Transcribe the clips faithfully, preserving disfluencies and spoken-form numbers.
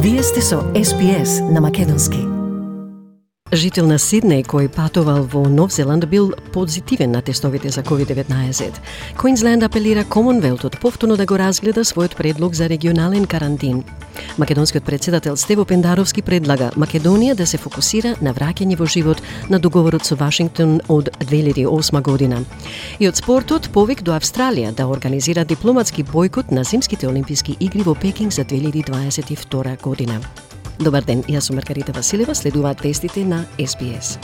Вие сте со Ес Би Ес на македонски. Жител на Сиднеј кој патувал во Нов Зеланд бил позитивен на тестовите за ковид деветнаесет. Квинсленд апелира Комонвелтот повторно да го разгледа својот предлог за регионален карантин. Македонскиот председател Стево Пендаровски предлага Македонија да се фокусира на враќање во живот на договорот со Вашингтон од две илјади и осма година. И од спортот повик до Австралија да организира дипломатски бојкот на зимските олимписки игри во Пекинг за две илјади дваесет и втора година. Добар ден, јас сум Маргарита Василева, следуваат вестите на Ес Би Ес.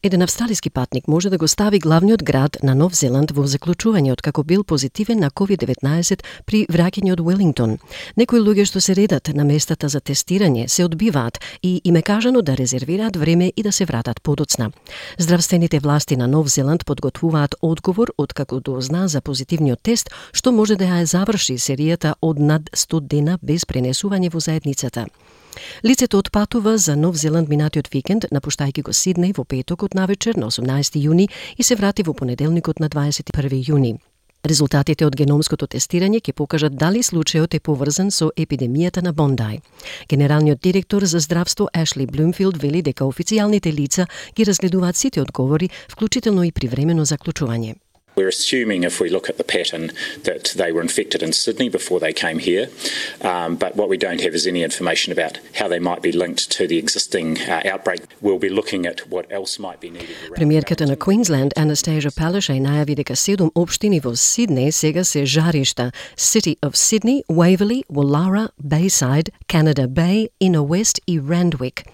Еден австралиски патник може да го стави главниот град на Нов Зеланд во заклучување откако бил позитивен на ковид деветнаесет при враќање од Велингтон. Некои луѓе што се редат на местата за тестирање се одбиваат и им е кажано да резервираат време и да се вратат подоцна. Здравствените власти на Нов Зеланд подготвуваат одговор откако дозна за позитивниот тест, што може да ја заврши серијата од над сто дена без пренесување во заедницата. Лицето отпатува за Нов Зеланд минатиот викенд, напуштајќи го Сиднеј во петокот навечер на осумнаесети јуни и се врати во понеделникот на дваесет и први јуни. Резултатите од геномското тестирање ќе покажат дали случајот е поврзан со епидемијата на Бондај. Генералниот директор за здравство Ашли Блумфилд вели дека официјалните лица ги разгледуваат сите одговори, вклучително и привремено заклучување. We're assuming, if we look at the pattern, that they were infected in Sydney before they came here, um, but what we don't have is any information about how they might be linked to the existing uh, outbreak. We'll be looking at what else might be needed. Премиерката на Квинсленд Анастасија Палашај најави дека седум општини во Сиднеј сега се жаришта: City of Sydney, Waverley, Woollahra, Bayside, Canada Bay, Inner West и Randwick.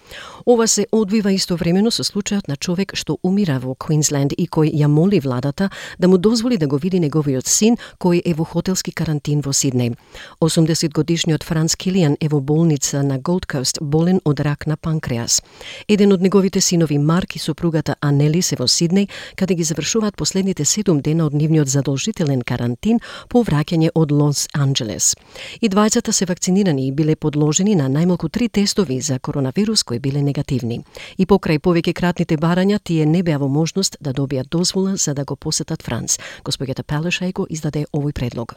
Ова се одвива истовремено со случајот на човек што умира во Квинсленд и кој ја моли владата да му дозволи да го види неговиот син кој е во хотелски карантин во Сиднеј. осумдесет годишниот Франц Килијан е во болница на Голд Кост болен од рак на панкреас. Еден од неговите синови Марк и сопругата Анели се во Сиднеј, каде ги завршуваат последните седум дена од нивниот задолжителен карантин по враќање од Лос Анџелес. И двајцата се вакцинирани и биле подложени на најмалку три тестови за коронавирус кои биле негативни. И покрај повеќе кратните барања, тие не беа во можност да добијат дозвола за да го посетат Франц. Господјата Палашај го издаде овој предлог.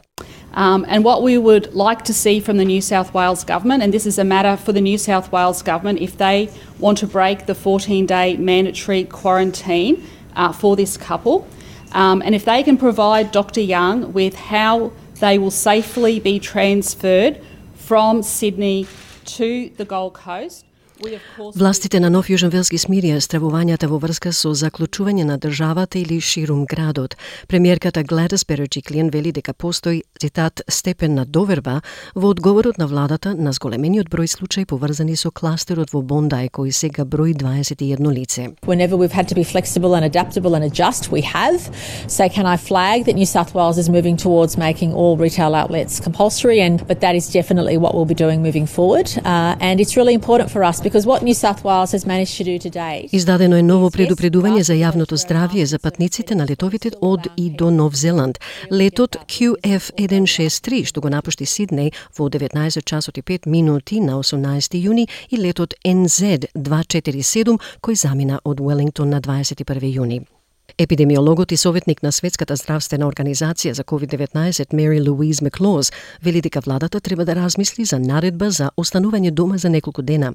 Um, and what we would like to see from the New South Wales government, and this is a matter for the New South Wales government, if they want to break the fourteen-day mandatory quarantine uh, for this couple, um, and if they can provide Doctor Young with how they will safely be transferred from Sydney to the Gold Coast. Властите на Нов Јужен Велс ги смирија стравувањата во врска со заклучување на државата или ширум градот. Премиерката Гледис Береджиклијан вели дека постои, цитат, степен на доверба во одговорот на владата на зголемениот број случаи поврзани со кластерот во Бондај, кој сега брои дваесет и едно лице. Whenever we've had to be flexible and adaptable and adjust, we have. So can I flag that New South Wales is moving towards making all retail outlets compulsory, and but that is definitely what we'll be doing moving forward. Uh, and it's really important for us because what New South Wales has managed to do today. Издадено е ново предупредување за јавното здравје за патниците на летовите од и до Нов Зеланд. Летот Q F еден шест три што го напушти Сиднеј во деветнаесет часот и пет минути на осумнаесети јуни и летот N Z дваесет и четири седум кој замина од Велингтон на дваесет и први јуни. Епидемиологот и советник на Светската здравствена организација за ковид деветнаесет Мери Луиз Маклоз вели дека владата треба да размисли за наредба за останување дома за неколку дена.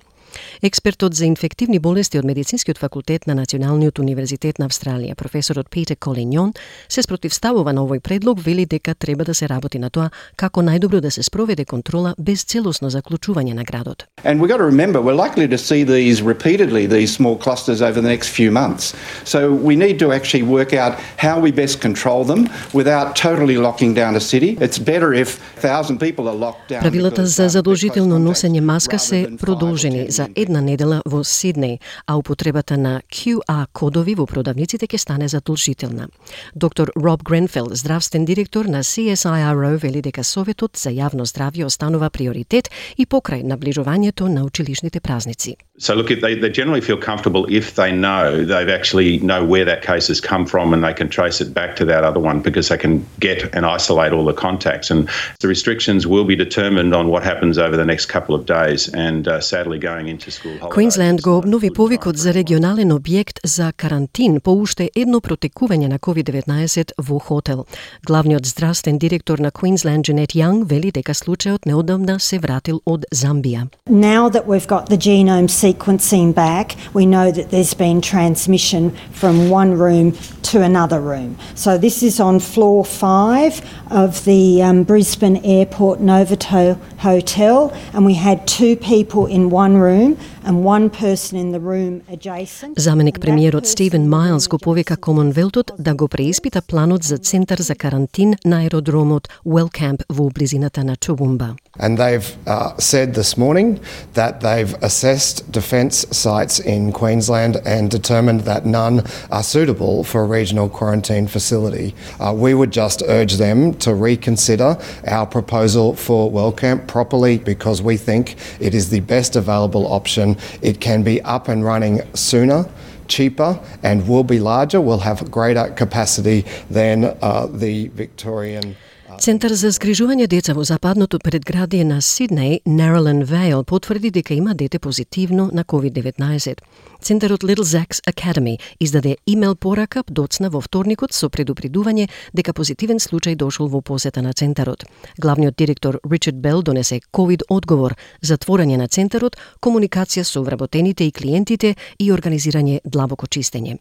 Експертот за инфективни болести од Медицинскиот факултет на Националниот универзитет на Австралија, професорот Питер Колиньон, се спротивставува на овој предлог, вели дека треба да се работи на тоа како најдобро да се спроведе контрола без целосно заклучување на градот. And we've got to remember we're likely to see these repeatedly, these small clusters over the next few months. So we need to actually work out how we best control them without totally locking down a city. It's better if a thousand people are locked down. Правилата за задолжително носење маска се продолжени за една недела во Сиднеј, а употребата на Q R кодови во продавниците ќе стане задолжителна. Доктор Роб Гренфелд, здравствен директор на C S I R O, вели дека Советот за јавно здравје останува приоритет и покрај наближувањето на училишните празници. So look, they, they generally feel comfortable if they know they've actually know where that case cases come from, and they can trace it back to that other one because they can get and isolate all the contacts. And the restrictions will be determined on what happens over the next couple of days, and uh, sadly going into school holidays. Queensland го обнови повикот за регионален објект за карантин по уште едно протекување на ковид деветнаесет во хотел. Главниот здравствен директор на Queensland, Jeanette Young, вели дека случајот неодамна се вратил од Замбија. Now that we've got the genome sequencing back, we know that there's been transmission from one room to another room. So this is on floor five of the um, Brisbane Airport Novotel Hotel, and we had two people in one room and one person in the room adjacent. Заменик премиерот Стивен Мајлс го повика Комонвелтот да го преиспита планот за центар за карантин на аеродромот Wellcamp во близината на Toowoomba. And they've uh, said this morning that they've assessed defence sites in Queensland and determined that none are suitable for a regional quarantine facility. Uh, we would just urge them to reconsider our proposal for Wellcamp properly, because we think it is the best available option. It can be up and running sooner, cheaper, and will be larger, will have greater capacity than uh, the Victorian. Центар за згрижување деца во западното предградие на Сиднеј, Narrowland Vale, потврди дека има дете позитивно на ковид деветнаесет. Центарот Little Zack's Academy издаде имейл порака доцна во вторникот со предупредување дека позитивен случај дошол во посета на центарот. Главниот директор Ричард Бел донесе ковид одговор, затворање на центарот, комуникација со вработените и клиентите и организирање длабоко чистење.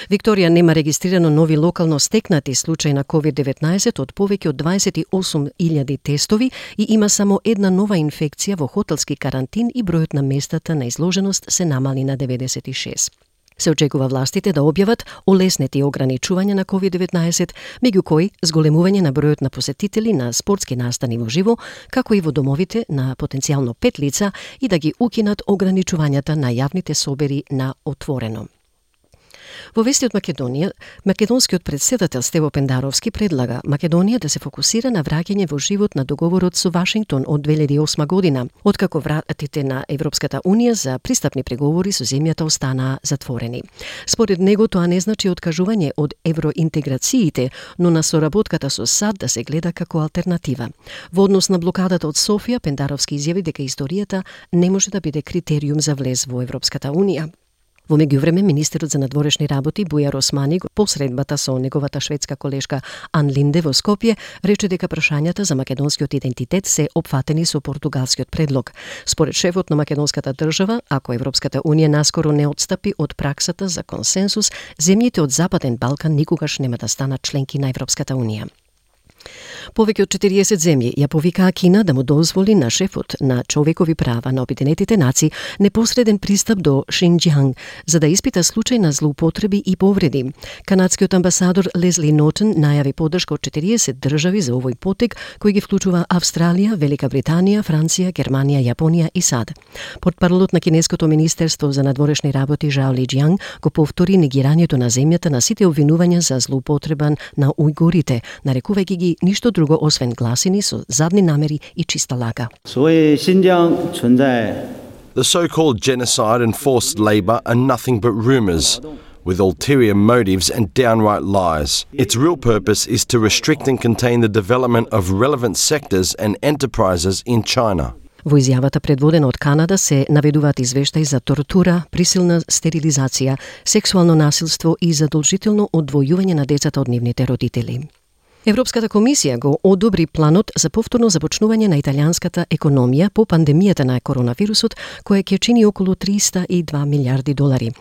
Викторија нема регистрирано нови локално стекнати случаи на ковид деветнаесет од повеќе од дваесет и осум илјади тестови и има само една нова инфекција во хотелски карантин и бројот на местата на изложеност се намали на деветдесет и шест. Се очекува властите да објават олеснети ограничувања на ковид деветнаесет, меѓу кои зголемување на бројот на посетители на спортски настани во живо, како и во домовите на потенцијално пет лица, и да ги укинат ограничувањата на јавните собери на отворено. Во вести од Македонија, македонскиот претседател Стево Пендаровски предлага Македонија да се фокусира на враќање во живот на договорот со Вашингтон од две илјади и осма година, откако вратите на Европската Унија за пристапни преговори со земјата останаа затворени. Според него тоа не значи откажување од евроинтеграциите, но на соработката со САД да се гледа како алтернатива. Во однос на блокадата од Софија, Пендаровски изјави дека историјата не може да биде критериум за влез во Европската Унија. Во меѓувреме, министерот за надворешни работи Бујар Османи по средбата со неговата шведска колешка Ан Линде во Скопје рече дека прашањата за македонскиот идентитет се опфатени со португалскиот предлог. Според шефот на македонската држава, ако Европската Унија наскоро не отстапи од праксата за консенсус, земјите од Западен Балкан никогаш нема да станат членки на Европската Унија. Повеќе од четириесет земји ја повикаа Кина да му дозволи на шефот на човекови права на Обединетите нации непосреден пристап до Шинџијанг за да испита случај на злоупотреби и повреди. Канадскиот амбасадор Лезли Нотон најави поддршка од четириесет држави за овој потег, кој ги вклучува Австралија, Велика Британија, Франција, Германија, Јапонија и САД. Портпаролот на Кинеското министерство за надворешни работи Жао Лиџијанг го повтори негирањето на земјата на сите обвинувања за злоупотреба на ујгурите, нарекувајќи ги ништо друго освен гласини со задни намери и чиста лага. The so-called genocide and forced labour are nothing but rumours, with ulterior motives and downright lies. Its real purpose is to restrict and contain the development of relevant sectors and enterprises in China. Во изјавата предводена од Канада се наведуваат извештаи за тортура, присилна стерилизација, сексуално насилство и задолжително одвојување на децата од нивните родители. Европската комисија го одобри планот за повторно започнување на италијанската економија по пандемијата на коронавирусот, која ќе чини околу триста и два милиарди долари.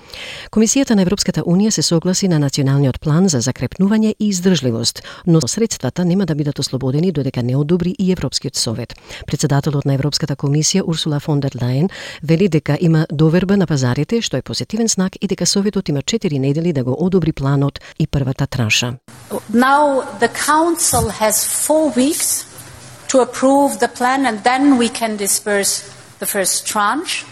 Комисијата на Европската Унија се согласи на националниот план за закрепнување и издржливост, но средствата нема да бидат ослободени додека не одобри и Европскиот совет. Председателот на Европската комисија Урсула фон дер Лајен вели дека има доверба на пазарите, што е позитивен знак, и дека советот има четири недели да го одобри планот и првата транша. Now the Council has four weeks to approve the plan, and then we can disperse the first tranche.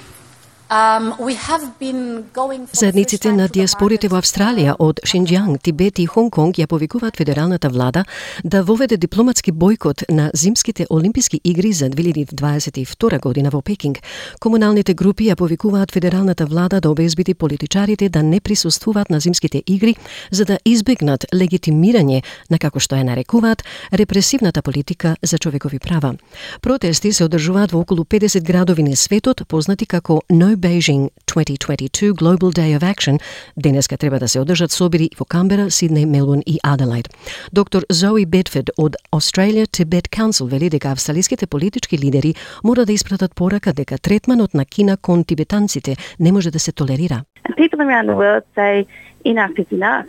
Um, we have been going for Заедниците на диаспорите во Австралија од Шинџијанг, Тибет и Хонг Конг ја повикуваат федералната влада да воведе дипломатски бојкот на зимските олимписки игри за две илјади дваесет и втора година во Пекинг. Комуналните групи ја повикуваат федералната влада да обезбеди политичарите да не присуствуваат на зимските игри за да избегнат легитимирање на, како што ја нарекуваат, репресивната политика за човекови права. Протести се одржуваат во околу педесет градови на светот, познати како No Beijing twenty twenty-two Global Day of Action. Денеска треба да се одржат собери во Камбера, Сиднеј, Мелбурн и Аделаид. Доктор Зои Бедфорд од Australia Tibet Council вели дека австралиските политички лидери мора да испратат порака дека третманот на Кина кон тибетанците не може да се толерира. And people around the world say enough is enough.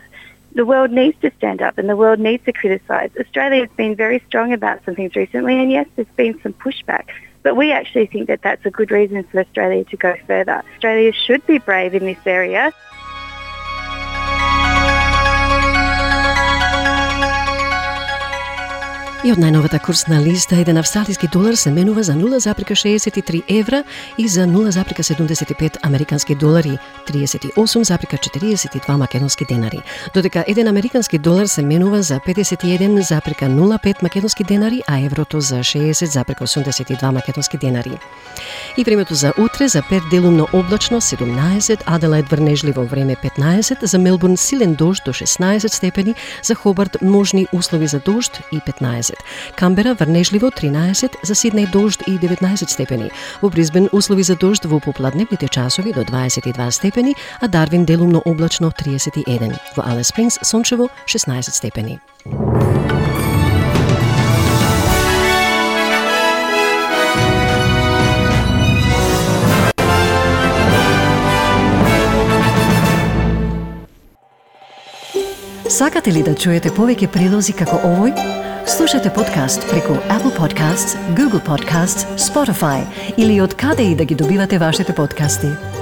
The world needs to stand up and the world needs to criticise. Australia has been very strong about some things recently, and yes, there's been some pushback. But we actually think that that's a good reason for Australia to go further. Australia should be brave in this area. И од најновата курсна листа, еден австралиски долар се менува за нула запирка шеесет и три евра и за нула запирка седумдесет и пет американски долари, триесет и осум запирка четириесет и два македонски денари. Додека еден американски долар се менува за педесет и еден запирка нула пет македонски денари, а еврото за шеесет запирка осумдесет и два македонски денари. И времето за утре, за Перт делумно облачно седумнаесет, Аделаид врнежливо време петнаесет, за Мелбурн силен дожд до шеснаесет степени, за Хобарт можни услови за дожд и петнаесет. Камбера врнежливо тринаесет, за Сиднеј дожд и деветнаесет степени. Во Брисбен услови за дожд во попладневните часови до дваесет и два степени, а Дарвин делумно облачно триесет и еден. Во Алис Спрингс сончево шеснаесет степени. Сакате ли да чуете повеќе прилози како овој? Слушате подкаст преку Apple Podcasts, Google Podcasts, Spotify или од каде и да ги добивате вашите подкасти.